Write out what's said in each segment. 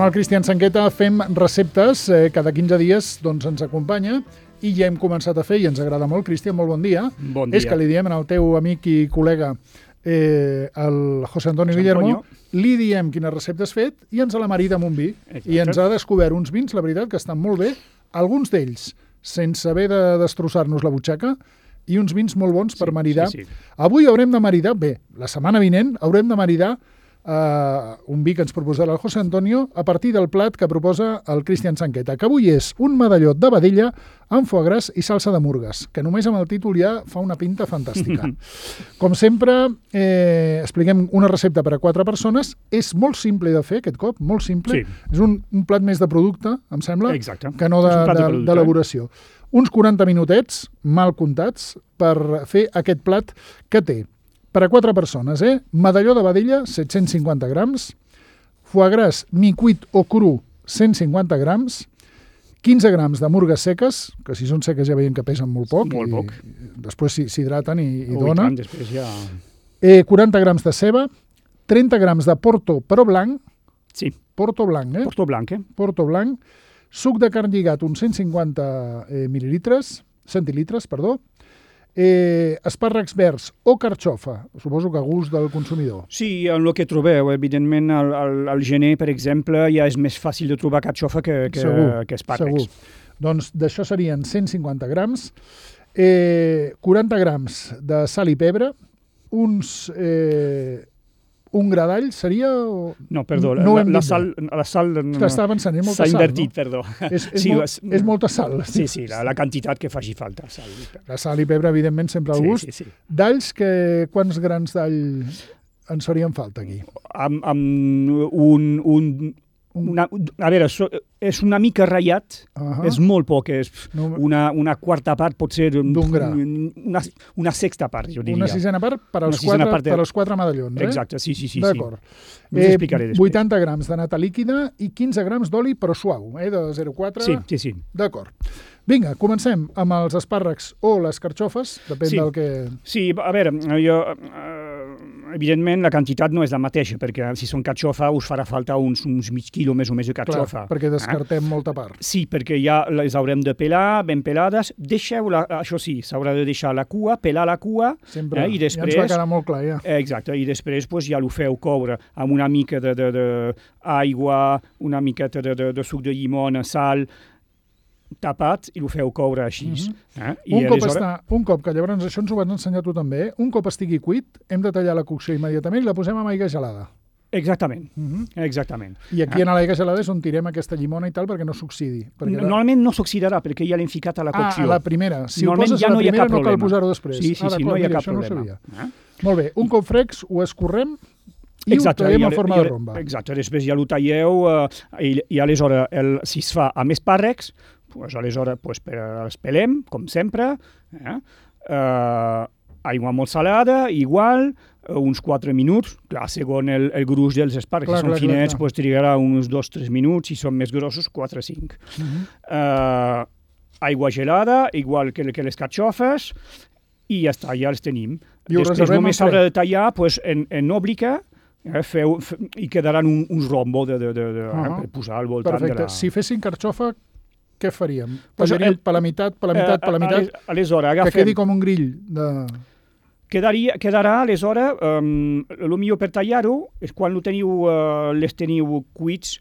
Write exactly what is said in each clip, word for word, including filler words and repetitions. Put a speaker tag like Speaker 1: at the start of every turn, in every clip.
Speaker 1: Amb el Cristian Sanqueta fem receptes, eh, cada quinze dies doncs, ens acompanya i ja hem començat a fer i ens agrada molt. Cristian, molt bon dia.
Speaker 2: Bon dia.
Speaker 1: És que li diem al teu amic i col·lega, eh, el José Antonio Guillermo, li diem quina recepta has fet i ens la marida amb un vi. Exacte. I ens ha descobert uns vins, la veritat, que estan molt bé, alguns d'ells sense haver de destrossar-nos la butxaca, i uns vins molt bons per
Speaker 2: sí,
Speaker 1: maridar.
Speaker 2: Sí, sí.
Speaker 1: Avui haurem de maridar, bé, la setmana vinent haurem de maridar uh, un vi que ens proposarà el José Antonio a partir del plat que proposa el Cristian Sanqueta, que avui és un medalló de vedella amb foie gras i salsa de murgues, que només amb el títol ja fa una pinta fantàstica. Com sempre, eh, expliquem una recepta per a quatre persones. És molt simple de fer aquest cop, molt simple.
Speaker 2: Sí.
Speaker 1: És un, un plat més de producte, em sembla,
Speaker 2: Exacte.
Speaker 1: que no d'elaboració. De, Uns quaranta minutets, mal comptats, per fer aquest plat que té. Per a quatre persones, eh? Medalló de vedella, set-cents cinquanta grams, foie gras mi cuit o cru, cent cinquanta grams, quinze grams de murgues seques, que si són seques ja veiem que pesen molt poc,
Speaker 2: molt
Speaker 1: i
Speaker 2: poc.
Speaker 1: Després s'hidraten i, i
Speaker 2: oh,
Speaker 1: dona.
Speaker 2: I tant, després ja...
Speaker 1: eh, quaranta grams de ceba, trenta grams de porto, però blanc.
Speaker 2: Sí.
Speaker 1: Porto blanc, eh?
Speaker 2: Porto blanc, eh?
Speaker 1: Porto blanc. Suc de carn lligat, uns cent cinquanta eh, mil·lilitres, centilitres, perdó. Eh, espàrrecs verds o carxofa, suposo que a gust del consumidor.
Speaker 2: Sí, en el que trobeu, evidentment, al, al, al gener, per exemple, ja és més fàcil de trobar carxofa que, que,
Speaker 1: segur,
Speaker 2: que espàrrecs.
Speaker 1: Segur. Doncs d'això serien cent cinquanta grams, eh, quaranta grams de sal i pebre, uns... Eh, un gra d'all seria... O...
Speaker 2: No, perdó,
Speaker 1: no
Speaker 2: la, la sal... La sal
Speaker 1: Estava pensant, és molta
Speaker 2: sal,
Speaker 1: sal,
Speaker 2: invertit,
Speaker 1: no?
Speaker 2: perdó.
Speaker 1: És, és,
Speaker 2: sí,
Speaker 1: molt,
Speaker 2: és,
Speaker 1: és molta sal.
Speaker 2: Sí, sí, la, la quantitat que faci falta. Sal i pebre.
Speaker 1: La sal i pebre, evidentment, sempre al
Speaker 2: sí,
Speaker 1: gust.
Speaker 2: Sí, sí.
Speaker 1: D'alls, que, quants grans d'all ens farien falta aquí?
Speaker 2: Amb, amb un... un Una, a veure, és una mica ratllat, uh-huh. És molt poc, és una, una quarta part, pot ser
Speaker 1: d'un gra.
Speaker 2: Una, una sexta part, jo diria.
Speaker 1: Una sisena part per als, quatre, part de... per als quatre medallons, eh?
Speaker 2: Exacte, sí, sí, sí.
Speaker 1: D'acord.
Speaker 2: Sí. Us explicaré després.
Speaker 1: vuitanta grams de nata líquida i quinze grams d'oli, però suau, eh? De zero coma quatre.
Speaker 2: Sí, sí, sí.
Speaker 1: D'acord. Vinga, comencem amb els espàrrecs o les carxofes, depèn
Speaker 2: sí.
Speaker 1: del que...
Speaker 2: Sí, a veure, jo... Eh, evidentment, la quantitat no és la mateixa, perquè si són carxofa us farà falta uns, uns mig quilo més o més de carxofa.
Speaker 1: Clar, perquè descartem eh? molta part.
Speaker 2: Sí, perquè ja les haurem de pelar, ben pelades. Deixeu-la, això sí, s'haurà de deixar la cua, pelar la cua.
Speaker 1: Sempre,
Speaker 2: eh? I després,
Speaker 1: ja ens va quedar molt clar, ja.
Speaker 2: Exacte, i després pues, ja ho feu coure amb una mica d'aigua, una miqueta de, de, de suc de llimona, sal, tapat i ho feu coure així. Mm-hmm. eh? I
Speaker 1: un, cop
Speaker 2: aleshores...
Speaker 1: està, un cop, que llavors això ens ho vas ensenyar tu també, eh? Un cop estigui cuit, hem de tallar la cocció immediatament i la posem amb aigua gelada.
Speaker 2: Exactament,
Speaker 1: mm-hmm.
Speaker 2: exactament.
Speaker 1: I aquí eh? en l'aigua gelada és on tirem aquesta llimona i tal perquè no s'oxidi. Perquè
Speaker 2: Normalment no s'oxidarà perquè ja l'hem ficat a la cocció.
Speaker 1: Ah, a la primera. Si ho poses
Speaker 2: ja
Speaker 1: a la
Speaker 2: no
Speaker 1: primera
Speaker 2: no
Speaker 1: cal posar-ho després.
Speaker 2: Sí, sí,
Speaker 1: ah,
Speaker 2: sí, no hi ha
Speaker 1: mira,
Speaker 2: cap problema.
Speaker 1: No eh? Molt bé, un cop frecs ho escorrem i
Speaker 2: exacte,
Speaker 1: ho tallem
Speaker 2: i
Speaker 1: en forma
Speaker 2: i
Speaker 1: de romba.
Speaker 2: Exacte, després ja ho talleu uh, i, i aleshores el, si es fa amb espàrrecs, pues, aleshores pues, per, els pelem, com sempre, eh? uh, aigua molt salada, igual, uh, uns quatre minuts, clar, segons el, el gruix dels espàrrecs, si són clar, finets, clar. Pues, trigarà uns dos tres minuts, si són més grossos, quatre cinc. Uh-huh. uh, aigua gelada, igual que, que les carxofes, i ja està, ja els tenim.
Speaker 1: I
Speaker 2: després només s'haurà de tallar pues, en, en òblica, eh, feu, fe, i quedaran un, uns rombo de, de, de, de, uh-huh. eh, per posar al voltant.
Speaker 1: Perfecte.
Speaker 2: De la...
Speaker 1: Si fessin carxofa, què faríem?
Speaker 2: Pues
Speaker 1: Tallaríem
Speaker 2: el,
Speaker 1: per la meitat, per la meitat, per la meitat,
Speaker 2: aleshores, agafem,
Speaker 1: que quedi com un grill de...
Speaker 2: Quedaria, quedarà, aleshores, um, el millor per tallar-ho és quan lo teniu, uh, les teniu cuits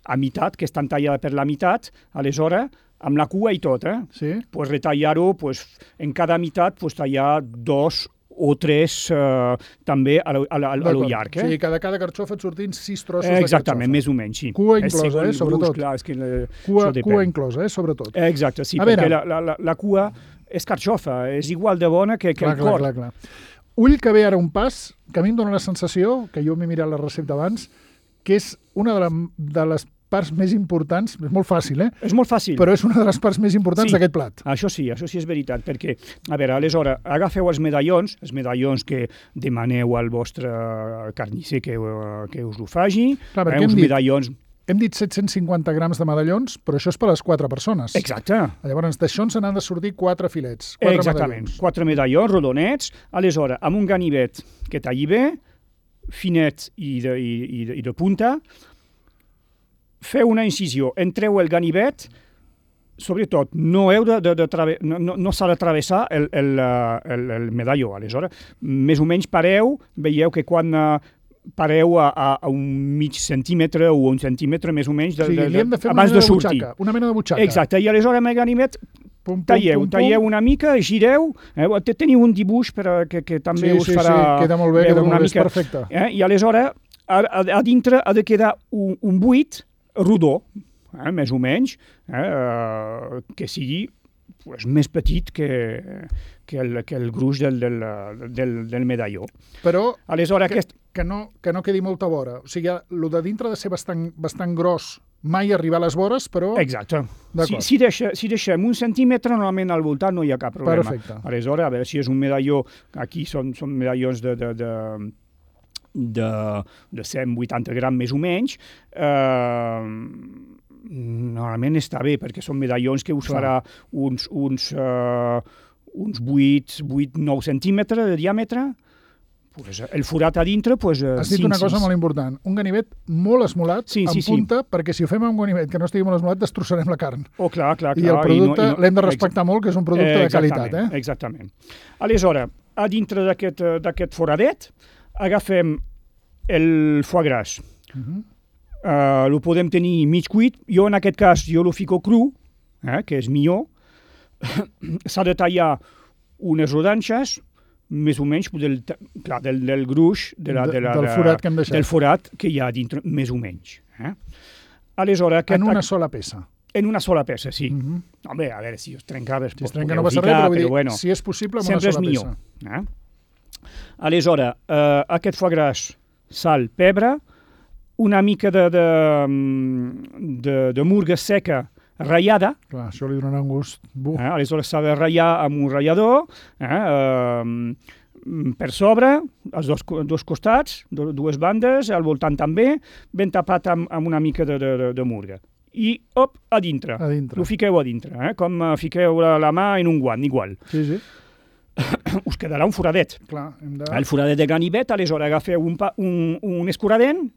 Speaker 2: a meitat, que estan tallades per la meitat, aleshores, amb la cua i tot, eh?
Speaker 1: Sí.
Speaker 2: Pues retallar-ho, pues, en cada meitat, pues, tallar dos o tres uh, també a lo, a, a, a lo llarg. Eh?
Speaker 1: O sigui, cada, cada carxofa et sortint sis trossos
Speaker 2: eh,
Speaker 1: de carxofa.
Speaker 2: Exactament, més o menys, sí.
Speaker 1: Cua inclosa, eh, sobretot.
Speaker 2: Gust, clar, és que, uh,
Speaker 1: cua, cua inclosa, eh, sobretot.
Speaker 2: Eh, exacte, sí,
Speaker 1: a
Speaker 2: perquè
Speaker 1: veure.
Speaker 2: la, la, la cua és carxofa, és igual de bona que, que
Speaker 1: clar,
Speaker 2: el cor.
Speaker 1: Clar, clar, clar. Ull que ve ara un pas, que a mi em dóna la sensació, que jo m'he mirat la recepta abans, que és una de, la, de les parts més importants, és molt fàcil, eh?
Speaker 2: És molt fàcil.
Speaker 1: Però és una de les parts més importants
Speaker 2: sí,
Speaker 1: d'aquest plat.
Speaker 2: Això sí, això sí és veritat, perquè, a veure, aleshores, agafeu els medallons, els medallons que demaneu al vostre carnisser que, que us ho faci,
Speaker 1: clar,
Speaker 2: eh, uns
Speaker 1: dit,
Speaker 2: medallons...
Speaker 1: Hem dit set-cents cinquanta grams de medallons, però això és per a les quatre persones.
Speaker 2: Exacte.
Speaker 1: Llavors, d'això ens n'han de sortir quatre filets, quatre
Speaker 2: Exactament,
Speaker 1: medallons.
Speaker 2: Quatre medallons rodonets, aleshores, amb un ganivet que talli bé, finet i de, i, i de, i de punta, feu una incisió, entreu el ganivet, sobretot no, heu de, de, de trave, no, no, no s'ha de travessar el, el, el, el medalló. Aleshores, més o menys pareu, veieu que quan uh, pareu a, a, a un mig centímetre o un centímetre més o menys de,
Speaker 1: o sigui,
Speaker 2: de,
Speaker 1: li hem de fer
Speaker 2: abans
Speaker 1: una mena
Speaker 2: de
Speaker 1: de
Speaker 2: sortir.
Speaker 1: butxaca. Una mena de butxaca.
Speaker 2: Exacte, i aleshores amb el ganivet
Speaker 1: Pum, pum,
Speaker 2: talleu,
Speaker 1: pum, pum.
Speaker 2: talleu una mica, gireu, eh, teniu un dibuix per, a- que, que també
Speaker 1: Sí,
Speaker 2: us
Speaker 1: sí,
Speaker 2: farà
Speaker 1: sí, queda molt bé,
Speaker 2: veure
Speaker 1: queda
Speaker 2: una
Speaker 1: molt bé, és
Speaker 2: mica.
Speaker 1: perfecte.
Speaker 2: Eh, I aleshores, a, a, a dintre ha de quedar un, un buit rodó, eh, més o menys, eh, eh, que sigui pues, més petit que, que, el, que el gruix del, del, del, del medalló.
Speaker 1: Però
Speaker 2: Aleshores,
Speaker 1: que,
Speaker 2: aquest,
Speaker 1: que, no, que no quedi molta vora. O sigui, el de dintre ha de ser bastant, bastant gros, mai arribar a les vores, però...
Speaker 2: exacte. Si,
Speaker 1: D'acord.
Speaker 2: si, deixa, si deixem un centímetre, normalment al voltant no hi ha cap problema.
Speaker 1: Perfecte.
Speaker 2: Aleshores, a veure si és un medalló, aquí són, són medallons de, de, de, de, de cent vuitanta gram més o menys, eh, normalment està bé, perquè són medallons que us
Speaker 1: Clar.
Speaker 2: farà uns, uns, eh, uns vuit, vuit, nou centímetres de diàmetre. Pues el forat a dintre, pues,
Speaker 1: Has dit una cosa molt important. Un ganivet molt esmolat,
Speaker 2: Sí,
Speaker 1: en
Speaker 2: sí, sí.
Speaker 1: punta, perquè si ho fem amb un ganivet que no estigui molt esmolat, destrossarem la carn.
Speaker 2: Oh, clar, clar, clar.
Speaker 1: I el producte
Speaker 2: no- i no-
Speaker 1: l'hem de respectar molt, que és un producte de qualitat. Eh?
Speaker 2: Exactament. Aleshores, a dintre d'aquest eh, d'aquest foradet, agafem el foie gras.
Speaker 1: Uh -huh.
Speaker 2: Uh, lo podem tenir mig cuit. Jo, en aquest cas, jo lo fico cru, eh, que és millor. S'ha de tallar unes rodanxes, més o menys del, clar, del, del gruix de la, de la,
Speaker 1: del forat que hem deixat.
Speaker 2: del forat que hi ha dintre, més o menys. Eh? Aleshores, aquest,
Speaker 1: En una sola peça.
Speaker 2: en una sola peça, sí.
Speaker 1: Uh -huh.
Speaker 2: Home, a veure, si es trencava...
Speaker 1: Si es trenca no passa res, però, vull dir, bueno, si és possible, amb una
Speaker 2: sempre
Speaker 1: sola
Speaker 2: és millor.
Speaker 1: peça.
Speaker 2: Eh? Aleshores, eh, aquest foie gras, sal, pebre, una mica de, de, de, de murga seca ratllada,
Speaker 1: Clar, això li donarà un gust. Buf.
Speaker 2: eh? Aleshores s'ha de ratllar amb un ratllador, eh? eh, per sobre, als dos, dos costats, do, dues bandes, al voltant també, ben tapat amb, amb una mica de, de, de, de murga. I, op, a dintre.
Speaker 1: A dintre.
Speaker 2: Ho fiqueu a dintre, eh? Com eh, fiqueu la, la mà en un guant, igual.
Speaker 1: Sí, sí.
Speaker 2: Us quedarà un foradet.
Speaker 1: Clar, hem de...
Speaker 2: El foradet de ganivet, aleshores agafeu un, pa, un, un escuradent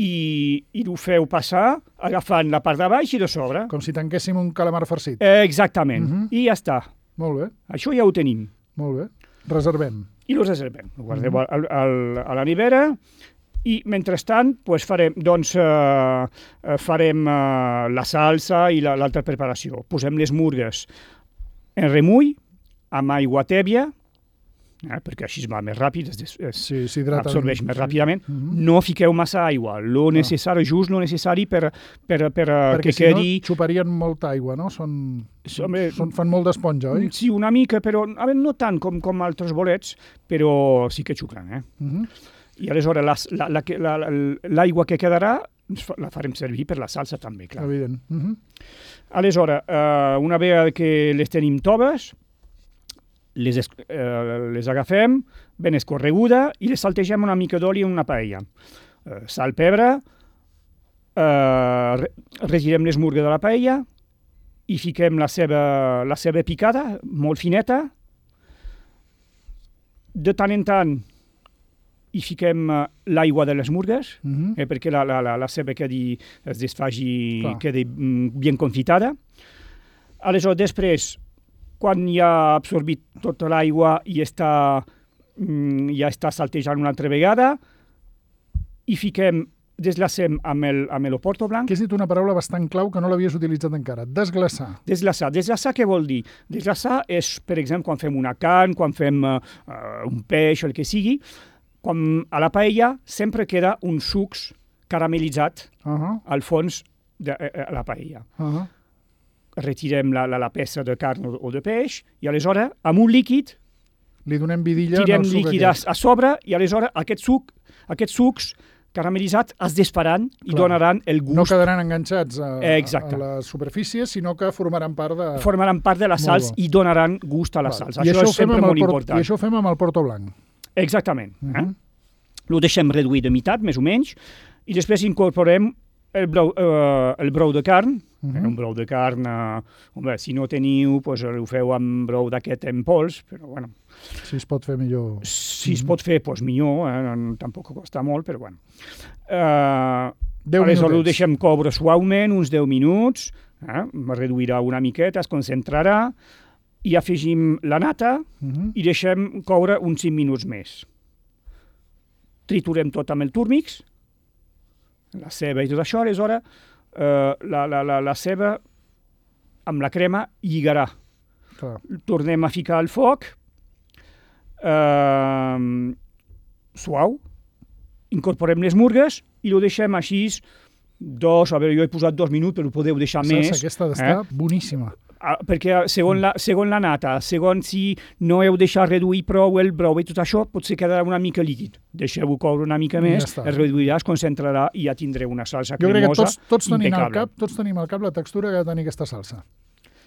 Speaker 2: i, i ho feu passar agafant la part de baix i de sobre.
Speaker 1: Com si tanquéssim un calamar farcit.
Speaker 2: Eh, exactament.
Speaker 1: Mhm.
Speaker 2: I ja està.
Speaker 1: Molt bé,
Speaker 2: Això ja ho tenim.
Speaker 1: molt bé. Reservem.
Speaker 2: I ho reservem. Ho guardeu al, al, a la nevera i, mentrestant, pues farem, doncs, eh, eh, farem eh, la salsa i la- l'altra preparació. Posem les murgues en remull, amb aigua tèbia, eh, perquè així es va més ràpid, es, des- es
Speaker 1: Sí, s'hidrata.
Speaker 2: absorbeix més ràpidament.
Speaker 1: Mhm.
Speaker 2: No fiqueu massa aigua, lo necessari, just lo necessari per, per, per, eh,
Speaker 1: Perquè
Speaker 2: que
Speaker 1: si
Speaker 2: quedi...
Speaker 1: no, xuparien molta aigua, no? Són,
Speaker 2: Home,
Speaker 1: són, fan molt d'esponja, oi?
Speaker 2: Sí, una mica, però a veure, no tant com, com altres bolets, però sí que xuclen, eh?
Speaker 1: Mhm.
Speaker 2: I aleshores la- la- la- la- l'aigua que quedarà ens fa- la farem servir per la salsa també, clar.
Speaker 1: Evident. Mhm.
Speaker 2: Aleshores, eh, una vegada que les tenim toves, les, es- eh, les agafem ben escorreguda i les saltegem una mica d'oli en una paella. Eh, sal, pebre, eh, re- retirem les murgues de la paella i fiquem la ceba, la ceba picada, molt fineta. De tant en tant hi fiquem eh, l'aigua de les murgues,
Speaker 1: Mhm.
Speaker 2: eh, perquè la, la, la, la ceba quedi, es desfaci,
Speaker 1: Clar.
Speaker 2: quedi mm, ben confitada. Aleshores, després, quan ja ha absorbit tota l'aigua i està, mm, ja està saltejant una altra vegada, hi fiquem, deslacem amb el, amb el oporto blanc.
Speaker 1: Que has dit una paraula bastant clau que no l'havies utilitzat encara. Desglaçar.
Speaker 2: Deslaçar. Deslaçar què vol dir? Deslaçar és, per exemple, quan fem una carn, quan fem uh, un peix o el que sigui, quan a la paella sempre queda un sucs caramelitzat
Speaker 1: Uh -huh.
Speaker 2: al fons de eh, la paella.
Speaker 1: Uh -huh.
Speaker 2: Retirem la, la, la peça de carn o, o de peix i aleshores, amb un líquid,
Speaker 1: Li donem vidilla
Speaker 2: tirem
Speaker 1: en el suc
Speaker 2: líquid
Speaker 1: aquest.
Speaker 2: a, a sobre i aleshores aquest suc, aquests sucs caramelitzats es desfaran i
Speaker 1: Clar.
Speaker 2: donaran el gust.
Speaker 1: No quedaran enganxats a,
Speaker 2: Exacte.
Speaker 1: a la superfície, sinó que formaran part de...
Speaker 2: Formaran part de la
Speaker 1: Molt
Speaker 2: salsa
Speaker 1: bo.
Speaker 2: i donaran gust a la
Speaker 1: Val.
Speaker 2: salsa.
Speaker 1: I
Speaker 2: Això,
Speaker 1: això ho
Speaker 2: és
Speaker 1: fem
Speaker 2: sempre
Speaker 1: amb el
Speaker 2: molt
Speaker 1: port-
Speaker 2: important.
Speaker 1: I això ho fem amb el porto blanc.
Speaker 2: Exactament.
Speaker 1: Uh
Speaker 2: eh?
Speaker 1: -huh.
Speaker 2: Lo deixem reduït de meitat, més o menys, i després incorporem el brou, eh, el brou de carn.
Speaker 1: Uh
Speaker 2: eh?
Speaker 1: -huh.
Speaker 2: Un brou de carn, eh, home, si no teniu, pues, ho feu amb brou d'aquest en pols, però bueno,
Speaker 1: Si es pot fer millor.
Speaker 2: si es pot fer, pues, millor, eh? no, tampoc costa molt, però bueno. Eh,
Speaker 1: deu
Speaker 2: Aleshores ho
Speaker 1: minutets.
Speaker 2: deixem coure suaument, uns deu minuts, eh? reduirà una miqueta, es concentrarà, i afegim la nata
Speaker 1: Mhm.
Speaker 2: i deixem coure uns cinc minuts més. Triturem tot amb el turmix, la ceba i tot això, aleshores eh, la, la, la, la ceba amb la crema lligarà.
Speaker 1: Clar.
Speaker 2: Tornem a ficar al foc, eh, suau, incorporem les murgues i ho deixem així dos, a veure, jo he posat dos minuts, però ho podeu deixar
Speaker 1: La
Speaker 2: més.
Speaker 1: salsa aquesta d'estar
Speaker 2: eh?
Speaker 1: boníssima.
Speaker 2: Ah, perquè segons la, segons la nata, segons si no heu deixat reduir prou el brou i tot això, potser quedarà una mica líquid. Deixeu-ho coure una mica
Speaker 1: I
Speaker 2: més,
Speaker 1: ja està.
Speaker 2: es reduirà, es concentrarà i ja tindreu una salsa
Speaker 1: Jo crec que
Speaker 2: cremosa,
Speaker 1: tots, tots, tenim al
Speaker 2: impecable.
Speaker 1: cap, tots tenim al cap la textura que ha de tenir aquesta salsa.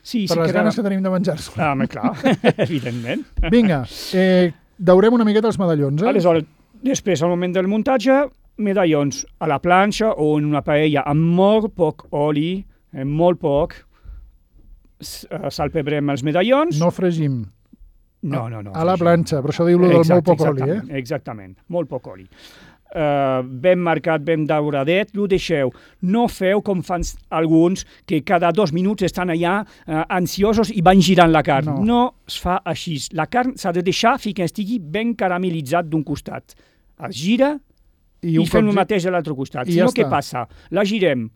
Speaker 2: Sí,
Speaker 1: Per
Speaker 2: sí,
Speaker 1: les
Speaker 2: quedarà...
Speaker 1: ganes que tenim de menjar-se.
Speaker 2: Ah, home, clar, evidentment.
Speaker 1: Vinga, eh, daurem una miqueta els medallons, eh?
Speaker 2: Aleshores, després, al moment del muntatge, medallons a la planxa o en una paella amb molt poc oli, amb molt poc, s- eh, salpebrem els medallons.
Speaker 1: No fregim.
Speaker 2: no, no, no
Speaker 1: A la
Speaker 2: fregim.
Speaker 1: planxa, per això diu-lo del
Speaker 2: Exacte,
Speaker 1: molt poc oli, eh?
Speaker 2: exactament, Exactament, molt poc oli. Uh, ben marcat, ben dauradet, ho deixeu. No feu com fan s- alguns que cada dos minuts estan allà uh, ansiosos i van girant la carn.
Speaker 1: No.
Speaker 2: No es fa així. La carn s'ha de deixar fins que estigui ben caramelitzat d'un costat. Es gira i,
Speaker 1: un
Speaker 2: i fem
Speaker 1: cop
Speaker 2: el
Speaker 1: gi-
Speaker 2: mateix a l'altre costat.
Speaker 1: i
Speaker 2: Si
Speaker 1: ja
Speaker 2: no, què
Speaker 1: està.
Speaker 2: passa? La girem,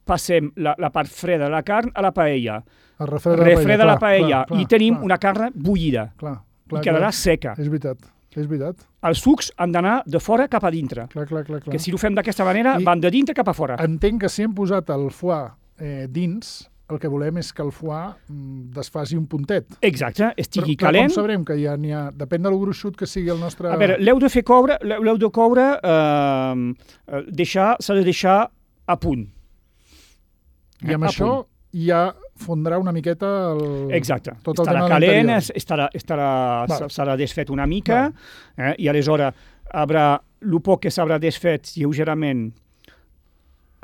Speaker 2: passem la, la part freda de la carn a la paella,
Speaker 1: Es refreda la
Speaker 2: refreda
Speaker 1: paella,
Speaker 2: la paella
Speaker 1: clar, clar,
Speaker 2: i tenim
Speaker 1: clar,
Speaker 2: una carn bullida
Speaker 1: clar, clar,
Speaker 2: i quedarà
Speaker 1: clar.
Speaker 2: seca.
Speaker 1: És veritat, és veritat.
Speaker 2: Els sucs han d'anar de fora cap a dintre.
Speaker 1: Clar, clar, clar, clar.
Speaker 2: Que si ho fem d'aquesta manera,
Speaker 1: I-
Speaker 2: van de dintre cap a fora.
Speaker 1: Entenc que si hem posat el foie eh, dins, el que volem és que el foie mm, desfaci un puntet.
Speaker 2: Exacte, estigui
Speaker 1: però, però
Speaker 2: calent.
Speaker 1: com sabrem que ja n'hi ha... Depèn del gruixut que sigui el nostre...
Speaker 2: A veure, l'heu de fer coure, l'heu de coure, eh, eh, deixar, s'ha de deixar a punt.
Speaker 1: I amb
Speaker 2: a
Speaker 1: això
Speaker 2: punt.
Speaker 1: ja fondrà una miqueta el...
Speaker 2: Exacte,
Speaker 1: tot el
Speaker 2: estarà
Speaker 1: tema de
Speaker 2: calent,
Speaker 1: l'interior.
Speaker 2: es- estarà, estarà,
Speaker 1: Val.
Speaker 2: s'ha desfet una mica, eh, i aleshores haurà, el poc que s'haurà desfet lleugerament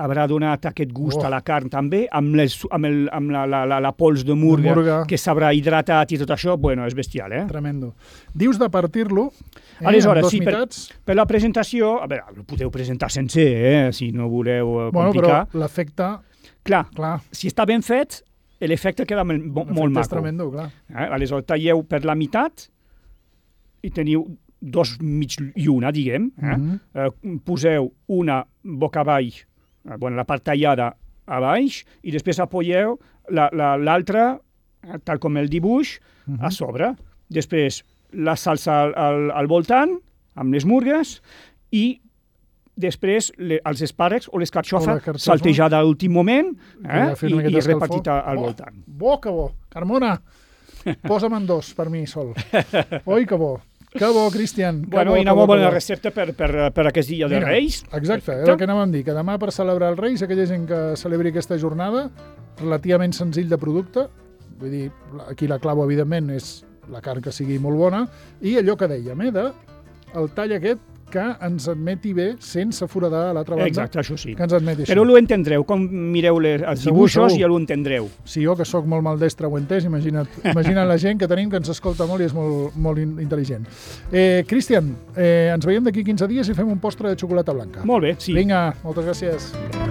Speaker 2: haurà donat aquest gust
Speaker 1: Oh.
Speaker 2: a la carn també, amb, les, amb, el, amb la, la, la, la pols de murga,
Speaker 1: murga.
Speaker 2: que s'haurà hidratat i tot això, bueno, és bestial, eh?
Speaker 1: Tremendo. Dius de partir-lo eh,
Speaker 2: Aleshores,
Speaker 1: en dos
Speaker 2: sí, per-
Speaker 1: mitats,
Speaker 2: Per la presentació, a veure, ho podeu presentar sencer, eh, si no voleu eh,
Speaker 1: bueno, però
Speaker 2: complicar.
Speaker 1: l'efecte,
Speaker 2: Clar,
Speaker 1: clar,
Speaker 2: si està ben fet, l'efecte queda mo- mo-
Speaker 1: l'efecte
Speaker 2: molt
Speaker 1: és
Speaker 2: maco.
Speaker 1: tremendo, clar.
Speaker 2: Eh? Aleshores, talleu per la meitat i teniu dos mig lluna, diguem. Eh?
Speaker 1: Mhm.
Speaker 2: Eh, poseu una boca avall, eh, bueno, la part tallada a baix, i després apoyeu la- la- l'altra, eh, tal com el dibuix,
Speaker 1: Mhm.
Speaker 2: a sobre. Després la salsa al, al, al voltant, amb les murgues, i després le, els espàrrecs o les
Speaker 1: O la
Speaker 2: carxofes
Speaker 1: carxofa.
Speaker 2: saltejada a l'últim moment,
Speaker 1: Que
Speaker 2: eh?
Speaker 1: ja ha fet
Speaker 2: I,
Speaker 1: una
Speaker 2: i
Speaker 1: miqueta d'escalfor.
Speaker 2: repartit a- al
Speaker 1: Bo,
Speaker 2: voltant.
Speaker 1: Bo, que bo. Carmona, posa'm en dos per mi sol. Oi, que bo. Que bo, Cristian. Que
Speaker 2: Bueno,
Speaker 1: bo,
Speaker 2: i una
Speaker 1: que bo,
Speaker 2: molt
Speaker 1: que
Speaker 2: bona
Speaker 1: bo.
Speaker 2: recepta per, per, per aquest dia de
Speaker 1: Mira,
Speaker 2: Reis.
Speaker 1: Exacte, era el que anàvem a dir, que demà per celebrar els Reis, aquella gent que celebri aquesta jornada, relativament senzill de producte, vull dir, aquí la clau, evidentment, és la carn que sigui molt bona, i allò que dèiem, eh, de el tall aquest que ens admeti bé sense foradar a l'altra banda,
Speaker 2: Exacte, això sí.
Speaker 1: que ens admeti
Speaker 2: Però
Speaker 1: això.
Speaker 2: ho entendreu, com mireu les, els
Speaker 1: Segur,
Speaker 2: dibuixos
Speaker 1: segur.
Speaker 2: ja ho entendreu.
Speaker 1: Si jo, que sóc molt maldestre, ho he entès, imagina't, imagina't la gent que tenim que ens escolta molt i és molt, molt in- intel·ligent. Eh, Cristian, eh, ens veiem d'aquí quinze dies i fem un postre de xocolata blanca.
Speaker 2: Molt bé, sí.
Speaker 1: Vinga, moltes gràcies.